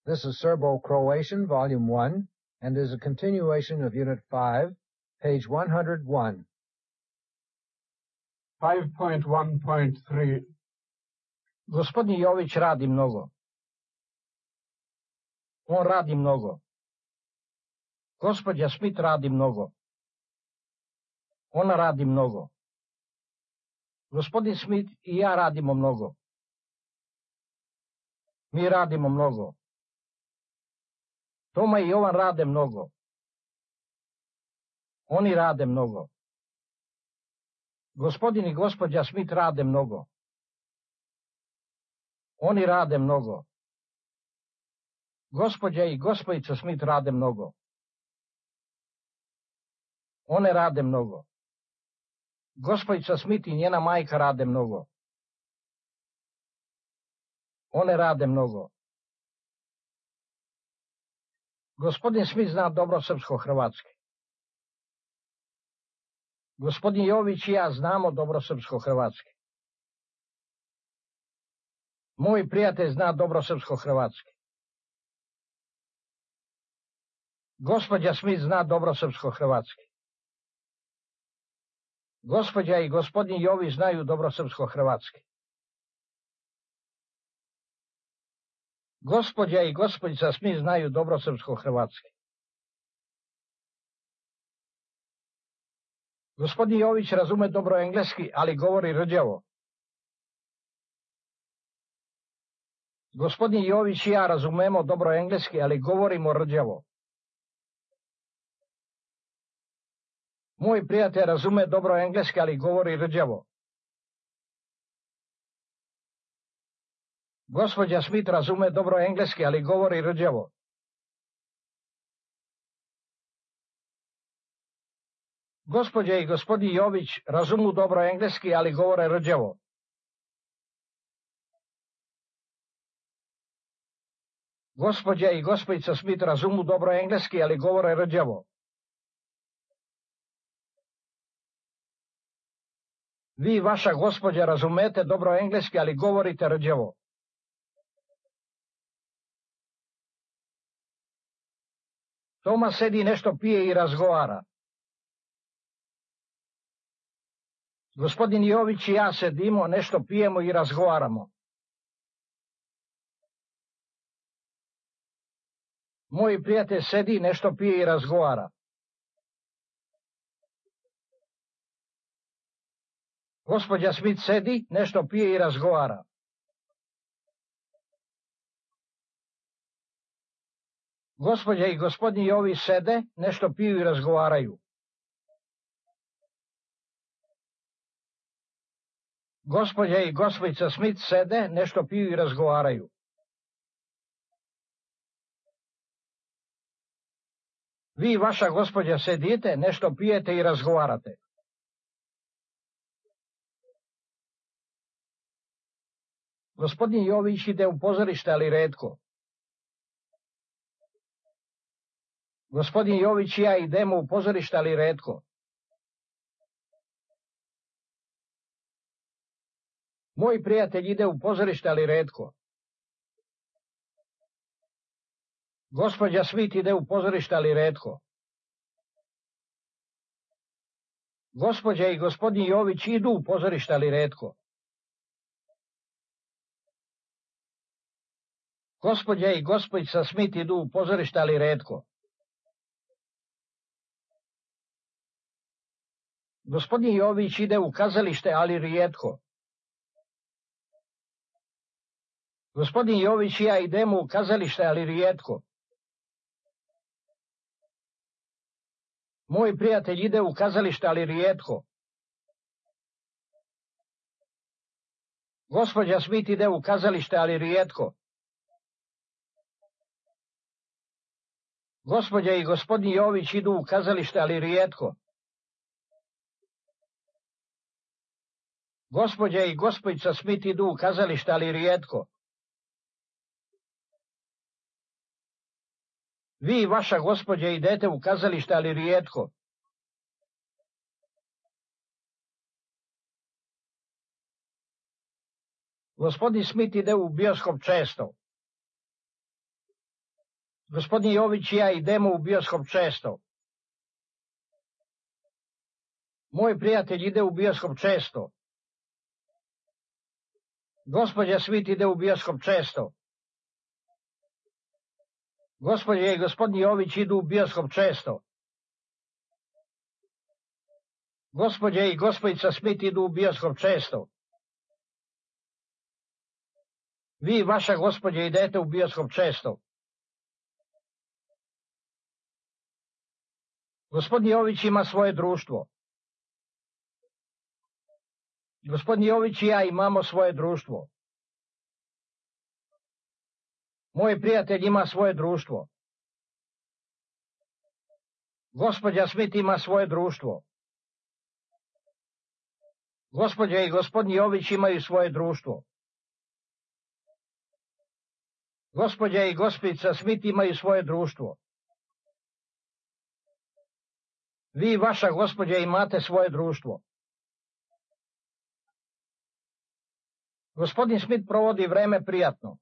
This is Serbo-Croatian, Volume 1, and is a continuation of Unit 5, page 101. 5.1.3 Gospodin Jović radi mnogo. On radi mnogo. Gospođa Smith radi mnogo. Ona radi mnogo. Gospodin Smith i ja radimo mnogo. Mi radimo mnogo. Toma i Jovan rade mnogo. Oni rade mnogo. Gospodin i gospođa Smith rade mnogo. Oni rade mnogo. Gospođa i gospođica Smith rade mnogo. One rade mnogo. Gospođica Smith i njena majka rade mnogo. One rade mnogo. Gospodin Smith zna dobro srpsko-hrvatski. Gospodin Jović i ja znamo dobro srpsko-hrvatski. Moj prijatelj zna dobro srpsko-hrvatski. Gospođa Smith zna dobro srpsko-hrvatski. Gospođa i gospodin Jović znaju dobro srpsko-hrvatski. Gospođa i gospođica Smith znaju dobro srpsko-hrvatski. Gospodin Jović razume dobro engleski, ali govori rđavo. Gospodin Jović i ja razumemo dobro engleski, ali govorimo rđavo. Moj prijatelj razume dobro engleski, ali govori rđavo. Gospođa Smith razume dobro engleski, ali govori rđavo. Gospođa i gospodin Jović razumu dobro engleski, ali govore rđavo. Gospođa i gospođica Smith razumu dobro engleski, ali govore rđavo. Vi i vaša gospođa razumete dobro engleski, ali govorite rđavo. Toma sedi, nešto pije i razgovara. Gospodin Jović i ja sedimo, nešto pijemo i razgovaramo. Moj prijatelj sedi, nešto pije i razgovara. Gospođa Smith sedi, nešto pije i razgovara. Gospođa i gospodin Jović sede, nešto piju i razgovaraju. Gospođa i gospođica Smith sede, nešto piju i razgovaraju. Vi i vaša gospođa sedite, nešto pijete i razgovarate. Gospodin Jović ide u pozorište, ali retko. Gospodin Jović i ja idemo u pozorište, ali retko. Moj prijatelj ide u pozorište, ali retko. Gospođa Smith ide u pozorište, ali retko. Gospođa i gospodin Jović idu u pozorište, ali retko. Gospođa i gospođica Smith idu u pozorište, ali retko. Gospodin Jović ide u kazalište, ali rijetko. Gospodin Jović i ja idemo u kazalište, ali rijetko. Moj prijatelj ide u kazalište, ali rijetko. Gospođa Smith ide u kazalište, ali rijetko. Gospođa i gospodin Jović idu u kazalište, ali rijetko. Gospođa i gospođica Smith idu u kazalište, ali rijetko. Vi i vaša gospođa idete u kazalište, ali rijetko. Gospodin Smith ide u bioskop često. Gospodin Jović i ja idemo u bioskop često. Moj prijatelj ide u bioskop često. Gospođa Smith ide u bioskop često. Gospođa i gospodin Jović idu u bioskop često. Gospođa i gospođica Smith idu u bioskop često. Vi i vaša gospođa idete u bioskop često. Gospodin Jović ima svoje društvo. Gospodin Jović i ja imamo svoje društvo. Moj prijatelj ima svoje društvo. Gospođa Smith ima svoje društvo. Gospođa i gospodin Jović imaju svoje društvo. Gospođa i gospođica Smith imaju svoje društvo. Vi i vaša gospođa imate svoje društvo. Gospodin Smith provodi vreme prijatno.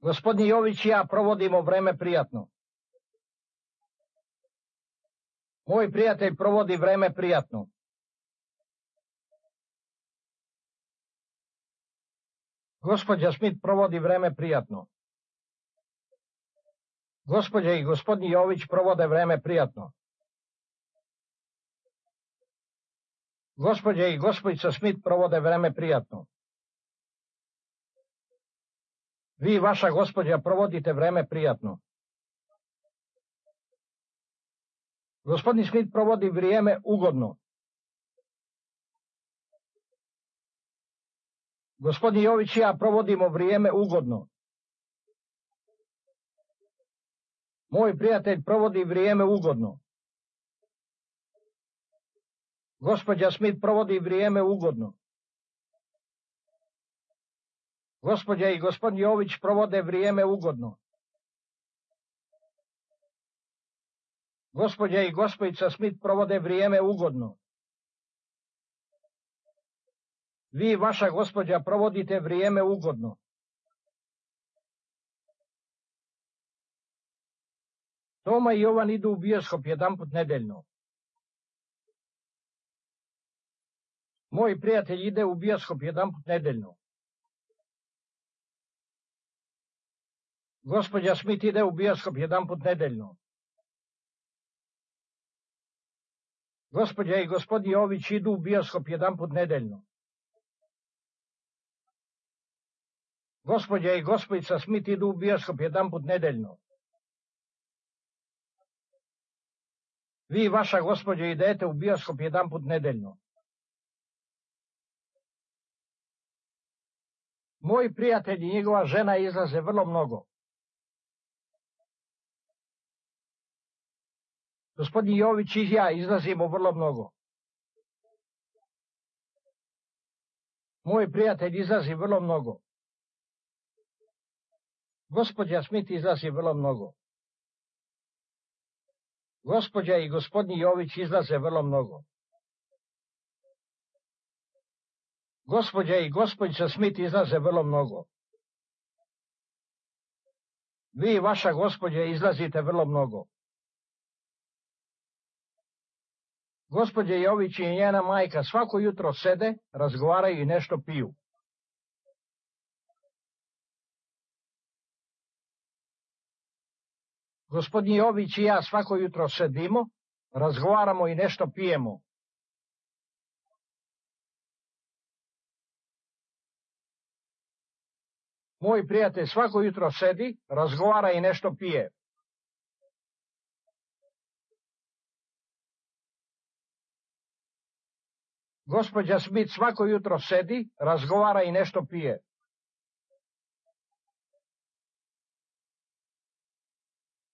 Gospodin Jović i ja provodimo vreme prijatno. Moj prijatelj provodi vreme prijatno. Gospođa Smith provodi vreme prijatno. Gospođa i gospodin Jović provode vreme prijatno. Gospođa i gospođica Smith provode vreme prijatno. Vi i vaša gospođa provodite vreme prijatno. Gospodin Smith provodi vrijeme ugodno. Gospodin Jović i ja provodimo vrijeme ugodno. Moj prijatelj provodi vrijeme ugodno. Gospođa Smith provodi vrijeme ugodno. Gospođa i gospodin Jović provode vrijeme ugodno. Gospođa i gospođica Smith provode vrijeme ugodno. Vi i vaša gospođa provodite vrijeme ugodno. Toma i Jovan idu u bioskop jedanput nedeljno. Moj prijatelj ide u bioskop jedanput nedeljno. Gospođa Smith ide u bioskop jedanput nedeljno. Gospođa i gospodin Jović idu u bioskop jedanput nedeljno. Gospođa i gospođica Smith idu u bioskop jedanput nedeljno. Vi i vaša gospođa idete u bioskop jedanput nedeljno. Moji prijatelji i njegova žena izlaze vrlo mnogo. Gospodin Jović i ja izlazimo vrlo mnogo. Moj prijatelj izlazi vrlo mnogo. Gospođa Smith izlazi vrlo mnogo. Gospođa i gospodin Jović izlaze vrlo mnogo. Gospođa i gospođica Smith izlaze vrlo mnogo. Vi i vaša gospođa izlazite vrlo mnogo. Gospođa Jović i njena majka svako jutro sede, razgovaraju i nešto piju. Gospodin Jović i ja svako jutro sedimo, razgovaramo i nešto pijemo. Moj prijatelj svako jutro sedi, razgovara i nešto pije. Gospođa Smith svako jutro sedi, razgovara i nešto pije.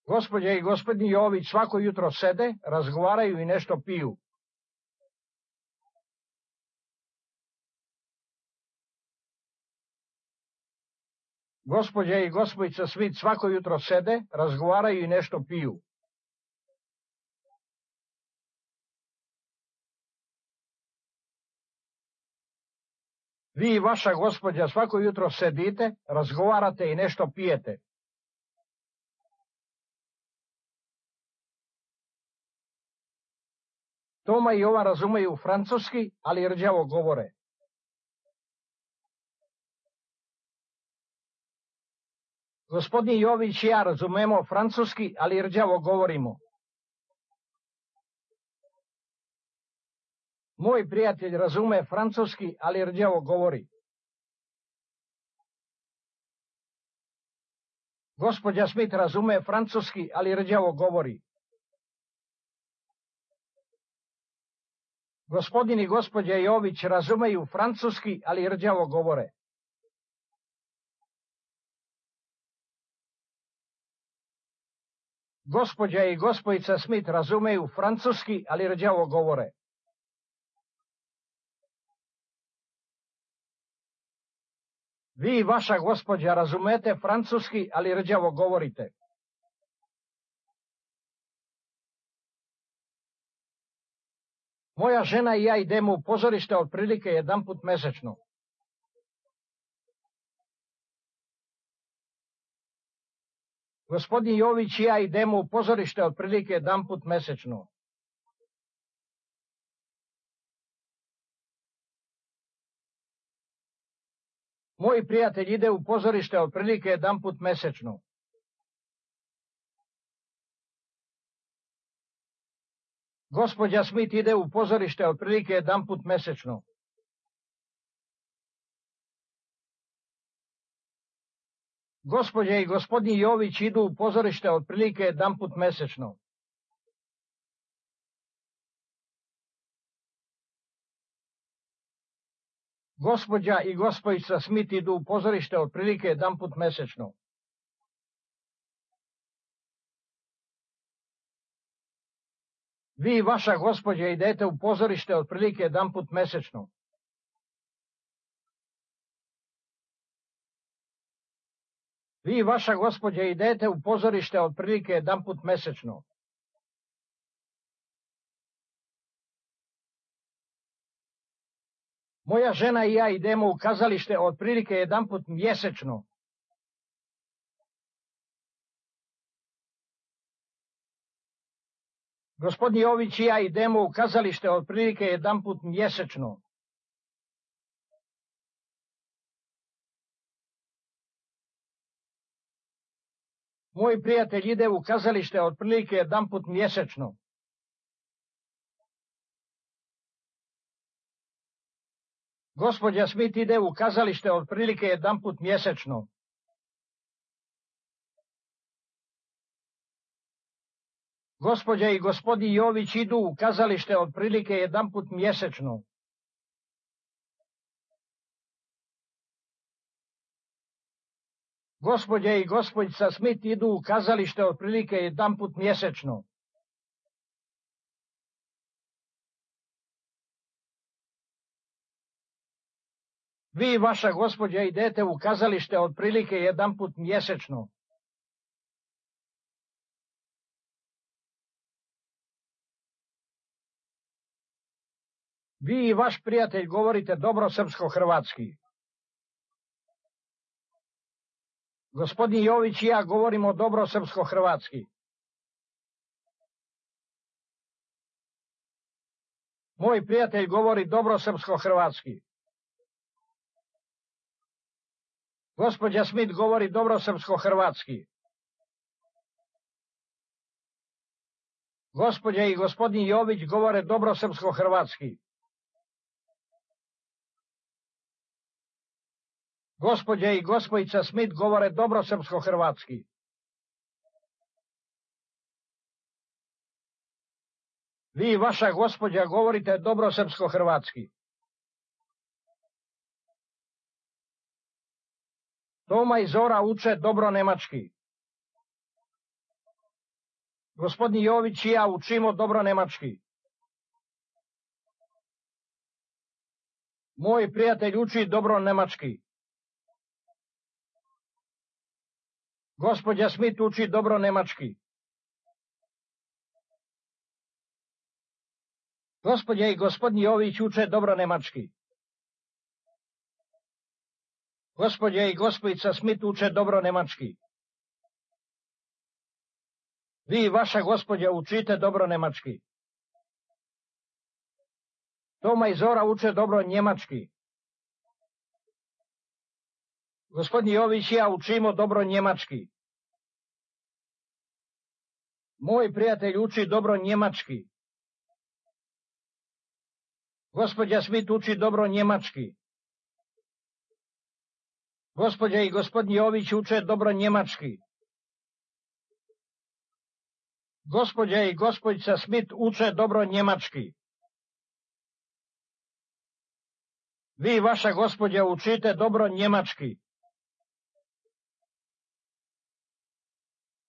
Gospođa i gospodin Jović svako jutro sede, razgovaraju i nešto piju. Gospođa i gospođica Smith svako jutro sede, razgovaraju i nešto piju. Vi i vaša gospođa svako jutro sedite, razgovarate i nešto pijete. Toma i Jovan razumeju francuski, ali rđavo govore. Gospodin Jović i ja razumemo francuski, ali rđavo govorimo. Moj prijatelj razume francuski, ali rđavo govori. Gospođa Smith razume francuski, ali rđavo govori. Gospodin i gospođa Jović razumeju francuski, ali rđavo govore. Gospođa i gospojica Smith razumeju francuski, ali rđavo govore. Vi i vaša gospođa razumete francuski, ali rđavo govorite. Moja žena i ja idemo u pozorište otprilike jedanput mesečno. Gospodin Jović i ja idemo u pozorište otprilike jedanput mesečno. Moj prijatelj ide u pozorište otprilike jedanput mesečno. Gospođa Smith ide u pozorište otprilike jedanput mesečno. Gospođa i gospodin Jović idu u pozorište otprilike jedanput mesečno. Gospođa i gospojica Smith idu u pozorište otprilike jedanput mesečno. Vi i vaša gospođa idete u pozorište otprilike jedanput mesečno. Vi i vaša gospođa idete u pozorište otprilike jedanput mesečno. Moja žena i ja idemo u kazalište otprilike jedanput mjesečno. Gospodin Jović i ja idemo u kazalište otprilike jedanput mjesečno. Moj prijatelj ide u kazalište otprilike jedanput mjesečno. Gospođa Smith ide u kazalište otprilike jedanput mjesečno. Gospođa i gospodin Jović idu u kazalište otprilike jedanput mjesečno. Gospođa i gospođica Smith idu u kazalište otprilike jedanput mjesečno. Vi i vaša gospođa idete u kazalište otprilike jedanput mjesečno. Vi i vaš prijatelj govorite dobro srpsko-hrvatski. Gospodin Jović i ja govorimo dobro srpsko-hrvatski. Moj prijatelj govori dobro srpsko-hrvatski. Gospođa Smith govori dobro srpsko-hrvatski. Gospođa i gospodin Jović govore dobro srpsko-hrvatski. Gospođa i gospojica Smith govore dobro srpsko-hrvatski. Vi i vaša gospođa govorite dobro srpsko-hrvatski. Toma i Zora uče dobro nemački. Gospodin Jović i ja učimo dobro nemački. Moj prijatelj uči dobro nemački. Gospođa Smith uči dobro nemački. Gospođa i gospodin Jović uče dobro nemački. Gospođa i gospojica Smith uče dobro nemački. Vi i vaša gospođa učite dobro nemački. Toma i Zora uče dobro njemački. Gospodin Jović i ja učimo dobro njemački. Moj prijatelj uči dobro njemački. Gospođa Smith uči dobro njemački. Gospođa i gospodin Jović uče dobro njemački. Gospođa i gospođica Smith uče dobro njemački. Vi i vaša gospođa učite dobro njemački.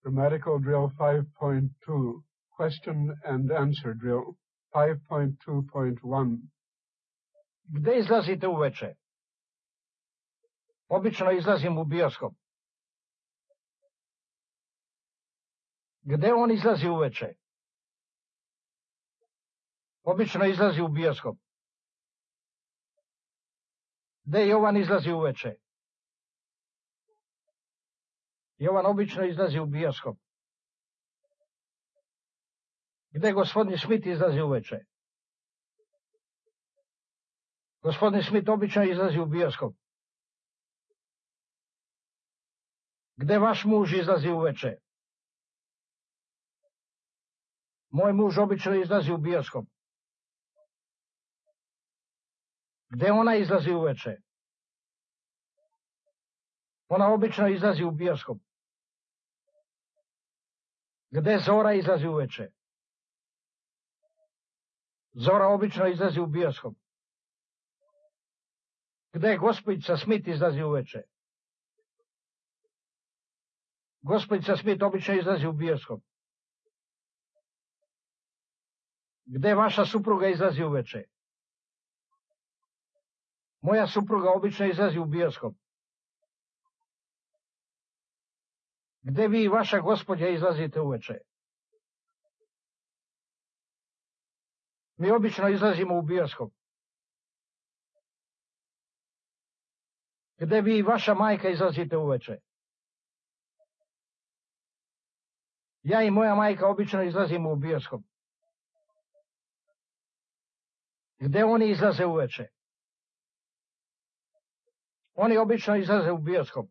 Grammatical drill 5.2. Question and answer drill 5.2.1. Gde izlazite uveče? Obično izlazim u bioskop. Gde on izlazi uveče? Obično izlazi u bioskop. Gde Jovan izlazi uveče? Jovan obično izlazi u bioskop. Gde gospodin Smith izlazi uveče? Gospodin Smith obično izlazi u bioskop. Gde vaš muž izlazi uveče? Moj muž obično izlazi u bioskop. Gde ona izlazi uveče? Ona obično izlazi u bioskop. Gde Zora izlazi uveče? Zora obično izlazi u bioskop. Gde gospođica Smith izlazi uveče? Gospođica Smith obično izlazi u bioskop. Gde vaša supruga izlazi uveče? Moja supruga obično izlazi u bioskop. Gde vi i vaša gospođa izlazite uveče? Mi obično izlazimo u bioskop. Gde vi i vaša majka izlazite uveče? Ja i moja majka obično izlazimo u bioskop. Gde oni izlaze uveče? Oni obično izlaze u bioskop.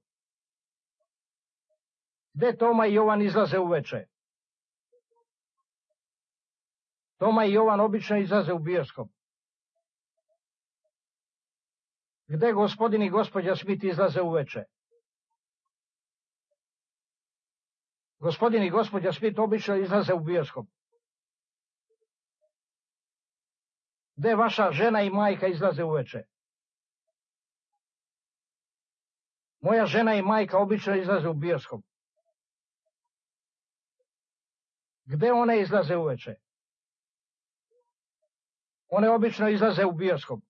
Gde Toma i Jovan izlaze uveče? Toma i Jovan obično izlaze u bioskop. Gde gospodin i gospođa Smith izlaze uveče? Gospodin i gospođa Smith obično izlaze u bioskop. Gde vaša žena i majka izlaze uveče? Moja žena i majka obično izlaze u bioskop. Gde one izlaze uveče? One obično izlaze u bioskop.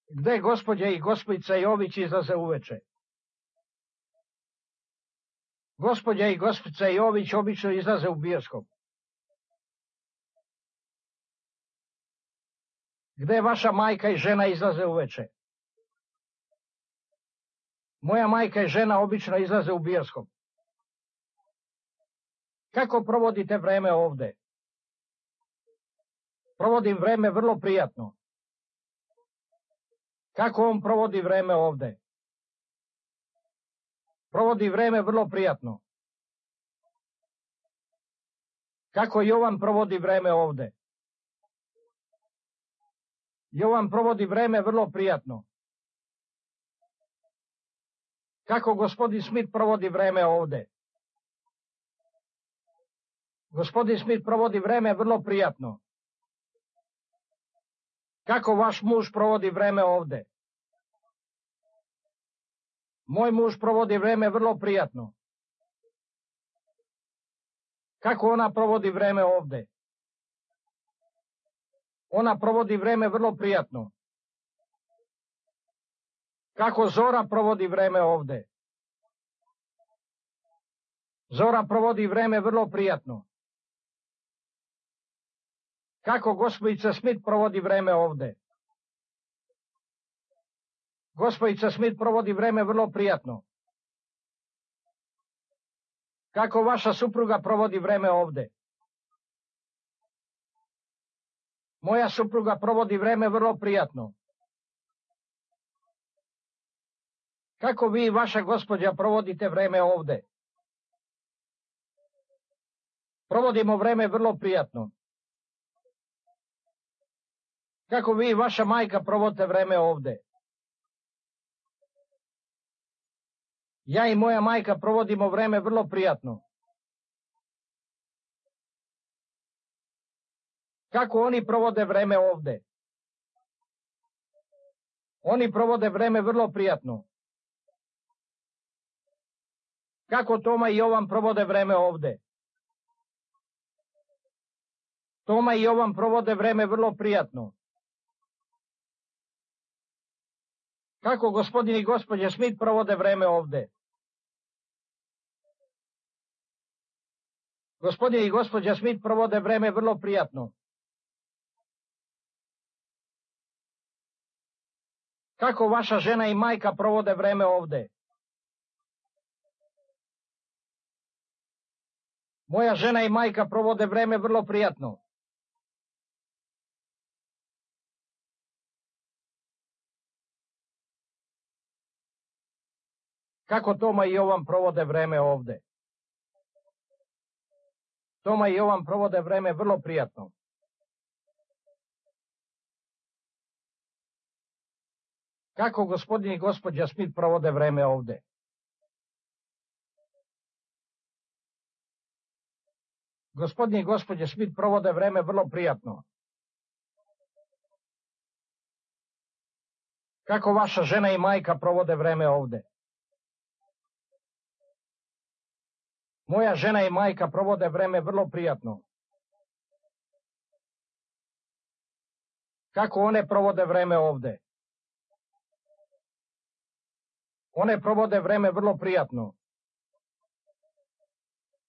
Gde gospođa i gospođica Jović izlaze uveče? Gospođa i gospođica Jović obično izlaze u bioskop. Gde vaša majka i žena izlaze uveče? Moja majka i žena obično izlaze u bioskop. Kako provodite vreme ovde? Provodim vreme vrlo prijatno. Kako on provodi vreme ovde? Provodi vreme vrlo prijatno. Kako Jovan provodi vreme ovde? Jovan provodi vreme vrlo prijatno. Kako gospodin Smith provodi vreme ovde? Gospodin Smith provodi vreme vrlo prijatno. Kako vaš muž provodi vreme ovde? Moj muž provodi vreme vrlo prijatno. Kako ona provodi vreme ovde? Ona provodi vreme vrlo prijatno. Kako Zora provodi vreme ovde? Zora provodi vreme vrlo prijatno. Kako gospođica Smith provodi vreme ovde? Gospođica Smith provodi vreme vrlo prijatno. Kako vaša supruga provodi vreme ovde? Moja supruga provodi vreme vrlo prijatno. Kako vi i vaša gospođa provodite vreme ovde? Provodimo vreme vrlo prijatno. Kako vi i vaša majka provodite vreme ovde? Ja i moja majka provodimo vreme vrlo prijatno. Kako oni provode vreme ovde? Oni provode vreme vrlo prijatno. Kako Toma i Jovan provode vreme ovde? Toma i Jovan provode vreme vrlo prijatno. Kako gospodin i gospođa Smith provode vreme ovde? Gospodin i gospođa Smith provode vreme vrlo prijatno. Kako vaša žena i majka provode vreme ovde? Moja žena i majka provode vreme vrlo prijatno. Kako Toma i Jovan provode vreme ovde? Toma i Jovan provode vreme vrlo prijatno. Kako gospodin i gospođa Smith provode vreme ovde? Gospodin i gospođa Smith provode vreme vrlo prijatno. Kako vaša žena i majka provode vreme ovde? Moja žena i majka provode vreme vrlo prijatno. Kako one provode vreme ovde? One provode vreme vrlo prijatno.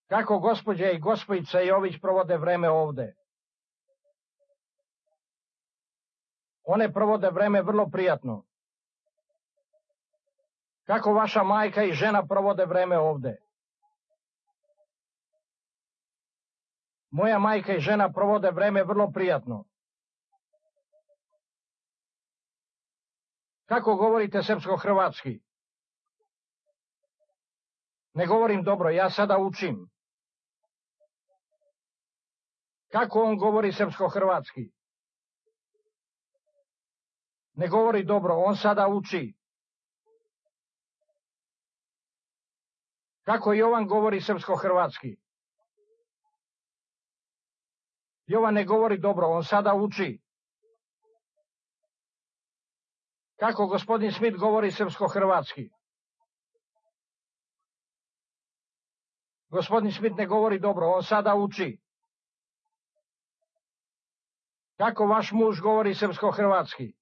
Kako gospođa i gospođica Jović provode vreme ovde? One provode vreme vrlo prijatno. Kako vaša majka i žena provode vreme ovde? Moja majka i žena provode vreme vrlo prijatno. Kako govorite srpsko-hrvatski? Ne govorim dobro, ja sada učim. Kako on govori srpsko-hrvatski? Ne govori dobro, on sada uči. Kako Jovan govori srpsko-hrvatski? Jovan ne govori dobro, on sada uči. Kako gospodin Smith govori srpsko-hrvatski? Gospodin Smith ne govori dobro, on sada uči. Kako vaš muž govori srpsko-hrvatski?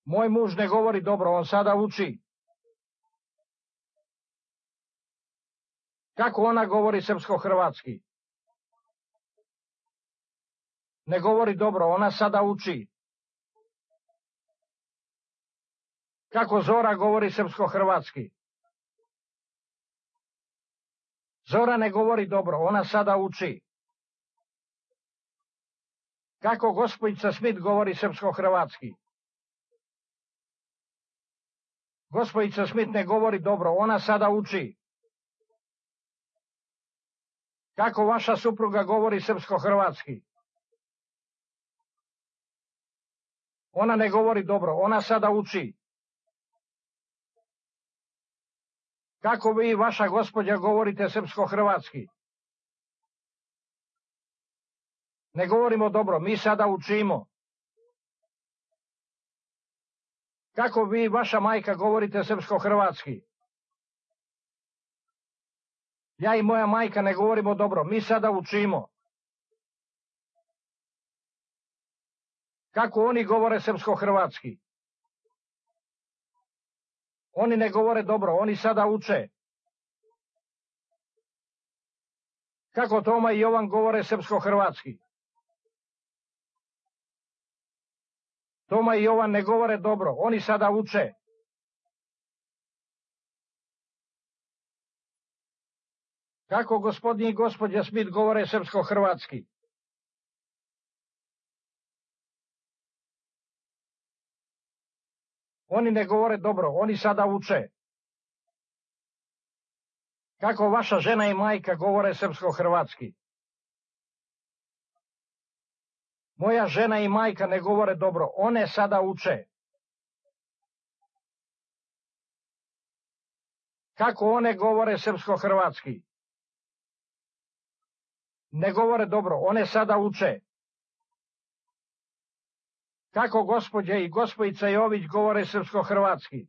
Moj muž ne govori dobro, on sada uči. Kako ona govori srpsko-hrvatski? Ne govori dobro, ona sada uči. Kako Zora govori srpsko-hrvatski? Zora ne govori dobro, ona sada uči. Kako gospođica Smith govori srpsko-hrvatski? Gospođica Smith ne govori dobro, ona sada uči. Kako vaša supruga govori srpsko-hrvatski? Ona ne govori dobro, ona sada uči. Kako vi i vaša gospođa govorite srpsko-hrvatski? Ne govorimo dobro, mi sada učimo. Kako vi i vaša majka govorite srpsko-hrvatski? Ja i moja majka ne govorimo dobro, mi sada učimo. Kako oni govore srpsko-hrvatski? Oni ne govore dobro, oni sada uče. Kako Toma i Jovan govore srpsko-hrvatski? Toma i Jovan ne govore dobro, oni sada uče. Kako gospodin i gospođa Smith govore srpsko-hrvatski? Oni ne govore dobro, oni sada uče. Kako vaša žena i majka govore srpsko-hrvatski? Moja žena i majka ne govore dobro, one sada uče. Kako one govore srpsko-hrvatski? Ne govore dobro, one sada uče. Kako gospođa i gospojica Jović govore srpsko-hrvatski?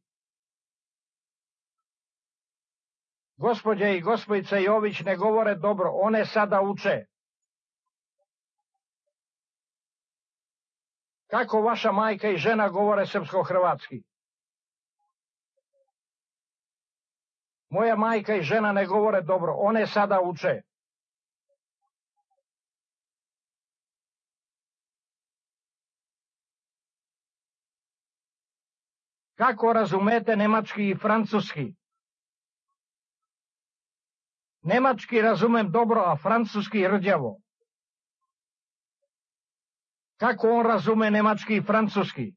Gospođa i gospojica Jović ne govore dobro, one sada uče. Kako vaša majka i žena govore srpsko-hrvatski? Moja majka i žena ne govore dobro, one sada uče. Kako razumete nemački i francuski? Nemački razumem dobro, a francuski rđavo. Kako on razume nemački i francuski?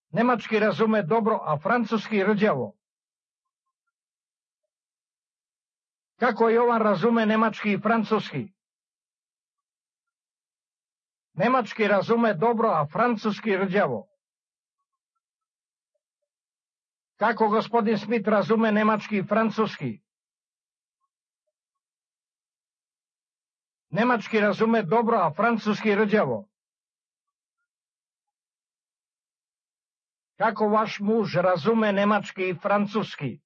Nemački razume dobro, a francuski rđavo. Kako Jovan razume nemački i francuski? Nemački razume dobro, a francuski rđavo. Kako gospodin Smith razume nemački i francuski? Nemački razume dobro, a francuski rđavo. Kako vaš muž razume nemački i francuski?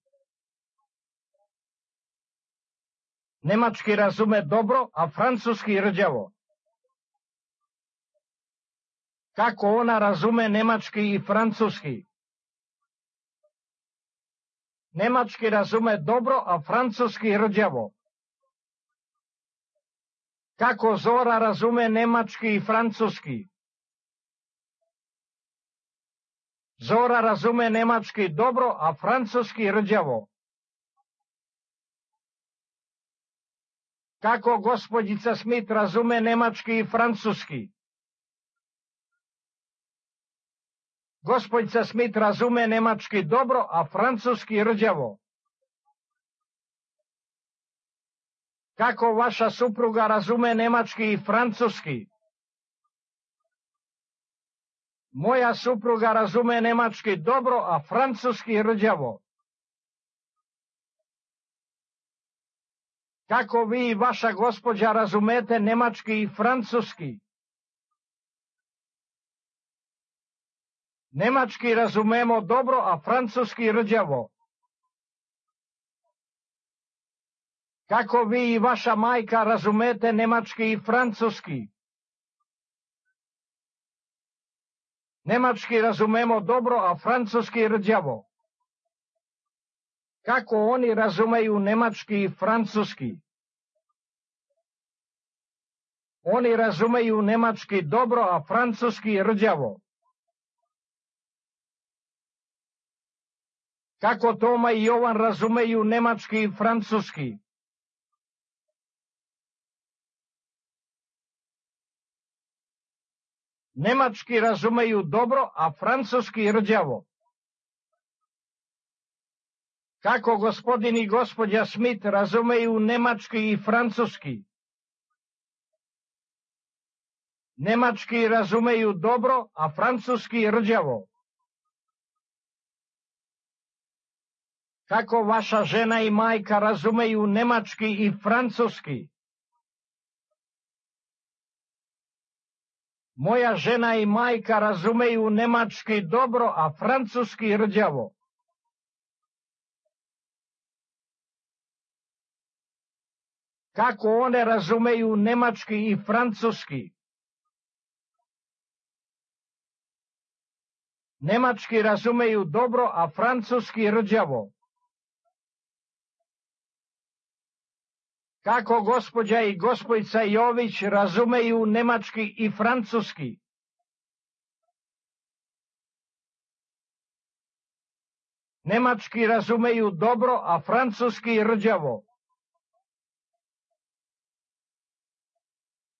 Nemački razume dobro, a francuski rđavo. Kako ona razume nemački i francuski? Nemački razume dobro, a francuski rđavo. Kako Zora razume nemački i francuski? Zora razume nemački dobro, a francuski rđavo. Kako gospođica Smith razume nemački i francuski? Gospođica Smith razume nemački dobro, a francuski rđavo. Kako vaša supruga razume nemački i francuski? Moja supruga razume nemački dobro, a francuski rđavo. Kako vi i vaša gospođa razumete nemački i francuski? Nemački razumemo dobro, a francuski rđavo. Kako vi i vaša majka razumete nemački i francuski? Nemački razumemo dobro, a francuski rđavo. Kako oni razumeju nemački i francuski? Oni razumeju nemački dobro, a francuski rđavo. Kako Toma i Jovan razumeju nemački i francuski? Nemački razumeju dobro, a francuski rđavo. Kako gospodin i gospođa Smith razumeju nemački i francuski? Nemački razumeju dobro, a francuski rđavo. Kako vaša žena i majka razumeju nemački i francuski? Moja žena i majka razumeju nemački dobro, a francuski rđavo. Kako one razumeju nemački i francuski? Nemački razumeju dobro, a francuski rđavo. Kako gospođa i gospodica Jović razumeju nemački i francuski? Nemački razumeju dobro, a francuski rđavo.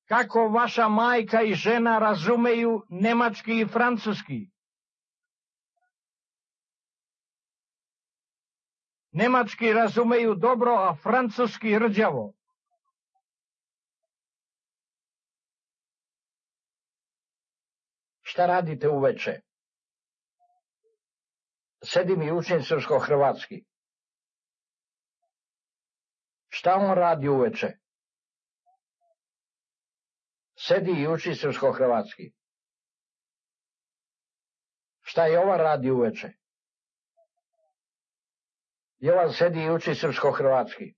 Kako vaša majka i žena razumeju nemački i francuski? Nemački razumeju dobro, a francuski rđavo. Šta radite uveče? Sedim i učim srpsko-hrvatski. Šta on radi uveče? Sedi i uči srpsko-hrvatski. Šta Jovan radi uveče? Jovan sedi i uči srpsko-hrvatski.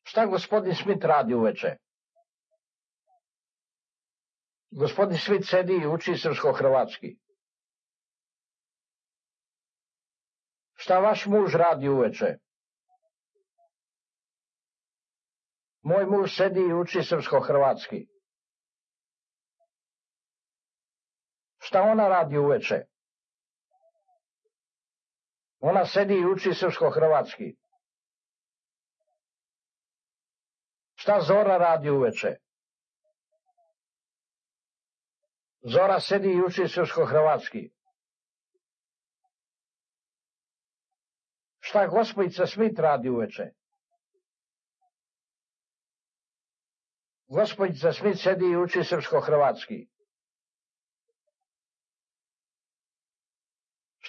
Šta gospodin Smith radi uveče? Gospodin Smith sedi i uči srpsko-hrvatski. Šta vaš muž radi uveče? Moj muž sedi i uči srpsko-hrvatski. Šta ona radi uveče? Ona sedi i uči srpsko-hrvatski. Šta Zora radi uveče? Zora sedi i uči srpsko-hrvatski. Šta gospojica Smith radi uveče? Gospojica Smith sedi i uči srpsko-hrvatski.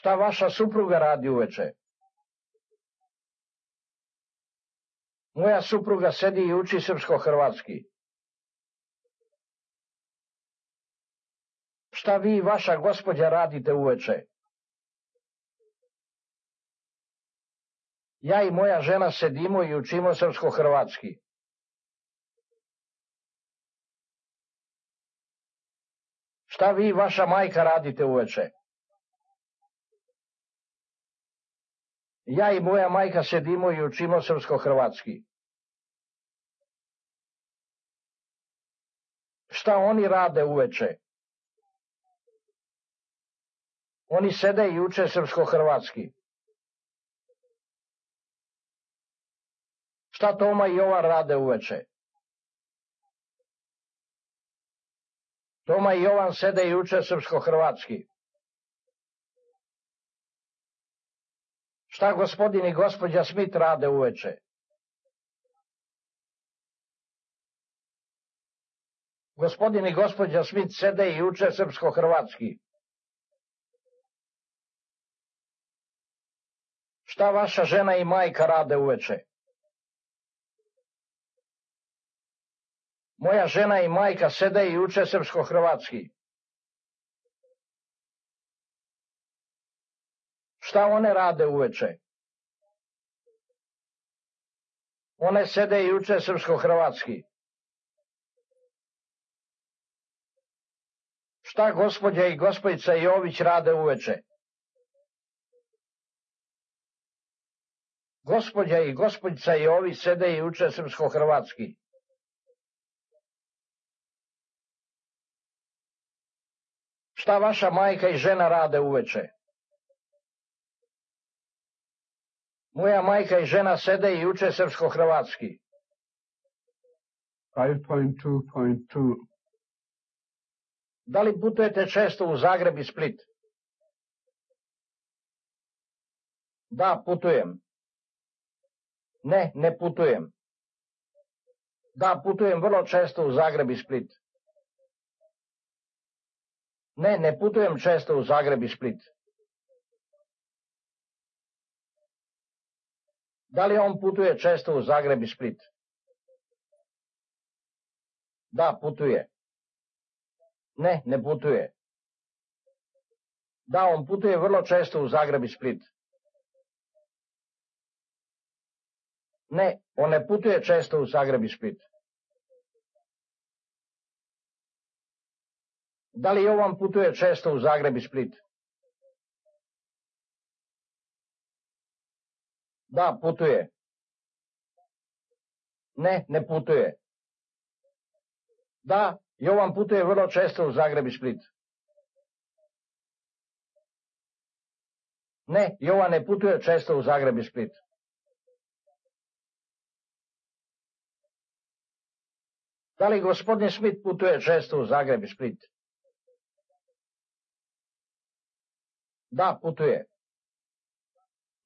Šta vaša supruga radi uveče? Moja supruga sedi i uči srpsko-hrvatski. Šta vi i vaša gospođa radite uveče? Ja i moja žena sedimo i učimo srpsko-hrvatski. Šta vi i vaša majka radite uveče? Ja i moja majka sedimo i učimo srpsko-hrvatski. Šta oni rade uveče? Oni sede i uče srpsko-hrvatski. Šta Toma i Jovan rade uveče? Toma i Jovan sede i uče srpsko-hrvatski. Šta gospodin i gospođa Smith rade uveče? Gospodin i gospođa Smith sede i uče srpsko-hrvatski. Šta vaša žena i majka rade uveče? Moja žena i majka sede i uče srpsko-hrvatski. Šta one rade uveče? One sede i uče srpsko-hrvatski. Šta gospođa i gospodica Jović rade uveče? Gospođa i gospodica Jović sede i uče srpsko-hrvatski. Šta vaša majka i žena rade uveče? Moja majka i žena sede i uče srpsko-hrvatski. 5.2.2 Da li putujete često u Zagreb i Split? Da, putujem. Ne, ne putujem. Da, putujem vrlo često u Zagreb i Split. Ne, ne putujem često u Zagreb i Split. Da li on putuje često u Zagreb i Split? Da, putuje. Ne, ne putuje. Da, on putuje vrlo često u Zagreb i Split. Ne, on ne putuje često u Zagreb i Split. Da li Jovan putuje često u Zagreb i Split? Da, putuje. Ne, ne putuje. Da, Jovan putuje vrlo često u Zagreb i Split. Ne, Jovan ne putuje često u Zagreb i Split. Da li gospodin Smith putuje često u Zagreb i Split? Da, putuje.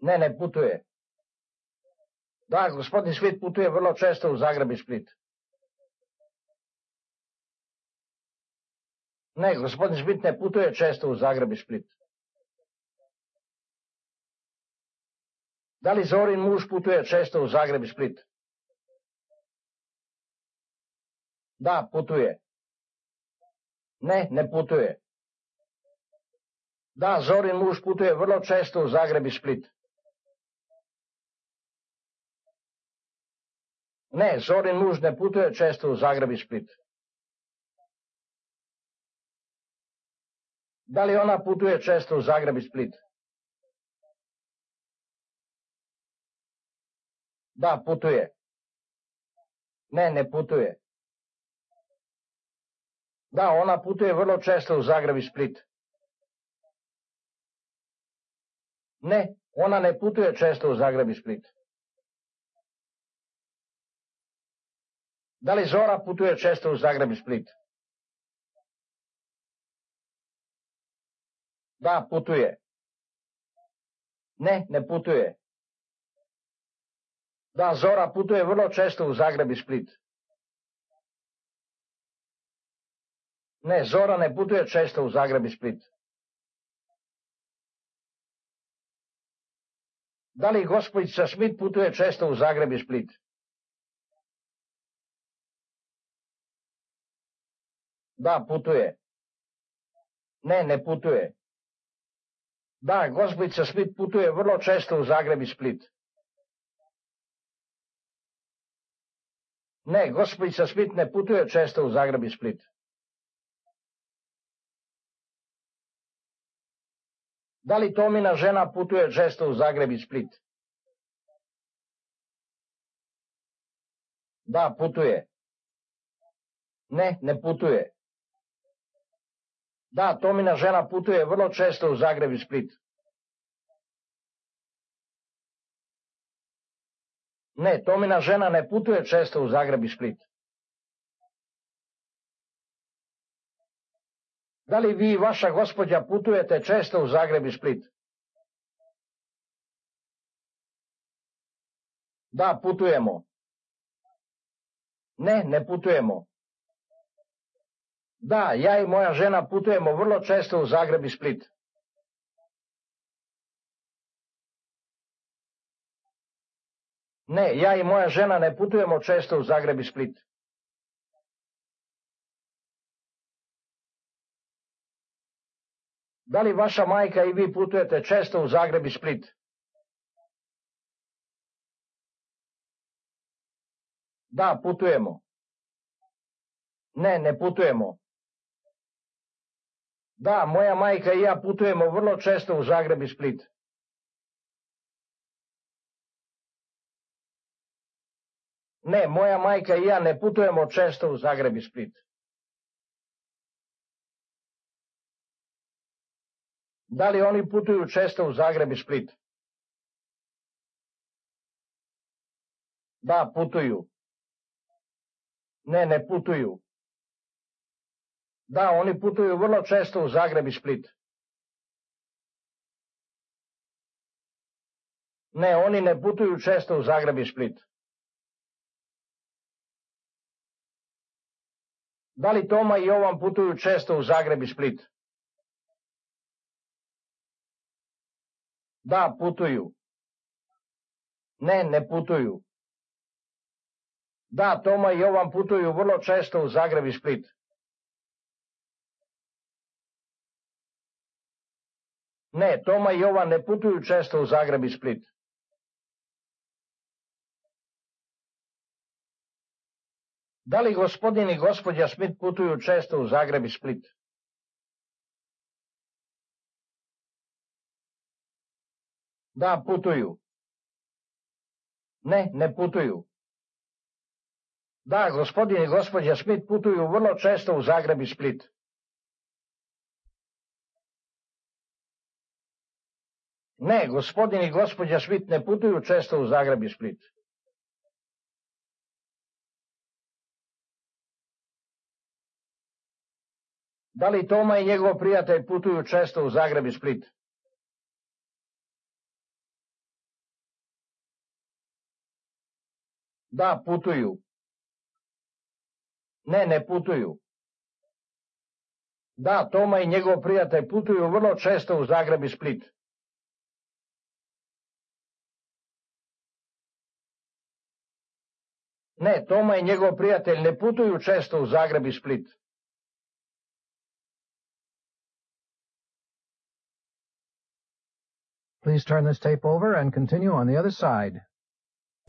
Ne, ne putuje. Da, gospodin Smith putuje vrlo često u Zagreb i Split. Ne, gospodin Smith ne putuje često u Zagreb i Split. Da li Zorin muž putuje često u Zagreb i Split? Da, putuje. Ne, ne putuje. Da, Zorin muž putuje vrlo često u Zagreb i Split. Ne, Zorin muž ne putuje često u Zagreb i Split. Da li ona putuje često u Zagreb i Split? Da, putuje. Ne, ne putuje. Da, ona putuje vrlo često u Zagreb i Split. Ne, ona ne putuje često u Zagreb i Split. Da li Zora putuje često u Zagreb i Split? Da, putuje. Ne, ne putuje. Da, Zora putuje vrlo često u Zagreb i Split. Ne, Zora ne putuje često u Zagreb i Split. Da li gospođica Smith putuje često u Zagreb i Split? Da, putuje. Ne, ne putuje. Da, gospođica Smith putuje vrlo često u Zagreb i Split. Ne, gospođica Smith ne putuje često u Zagreb i Split. Da li Tomina žena putuje često u Zagreb i Split? Da, putuje. Ne, ne putuje. Da, Tomina žena putuje vrlo često u Zagreb i Split. Ne, Tomina žena ne putuje često u Zagreb i Split. Da li vi i vaša gospođa putujete često u Zagreb i Split? Da, putujemo. Ne, ne putujemo. Da, ja i moja žena putujemo vrlo često u Zagreb i Split. Ne, ja i moja žena ne putujemo često u Zagreb i Split. Da li vaša majka i vi putujete često u Zagreb i Split? Da, putujemo. Ne, ne putujemo. Da, moja majka i ja putujemo vrlo često u Zagreb i Split. Ne, moja majka i ja ne putujemo često u Zagreb i Split. Da li oni putuju često u Zagreb i Split? Da, putuju. Ne, ne putuju. Da, oni putuju vrlo često u Zagreb i Split. Ne, oni ne putuju često u Zagreb i Split. Da li Toma i Jovan putuju često u Zagreb i Split? Da, putuju. Ne, ne putuju. Da, Toma i Jovan putuju vrlo često u Zagreb i Split. Ne, Toma i Jovan ne putuju često u Zagreb i Split. Da li gospodin i gospođa Smith putuju često u Zagreb i Split? Da, putuju. Ne, ne putuju. Da, gospodin i gospođa Smith putuju vrlo često u Zagreb i Split. Ne, gospodin i gospođa Smith ne putuju često u Zagreb i Split. Da li Toma i njegov prijatelj putuju često u Zagreb i Split? Da, putuju. Ne, ne putuju. Da, Toma i njegov prijatelj putuju vrlo često u Zagreb i Split. Ne, Toma i njegov prijatelj ne putuju često u Zagreb i Split. Please turn this tape over and continue on the other side.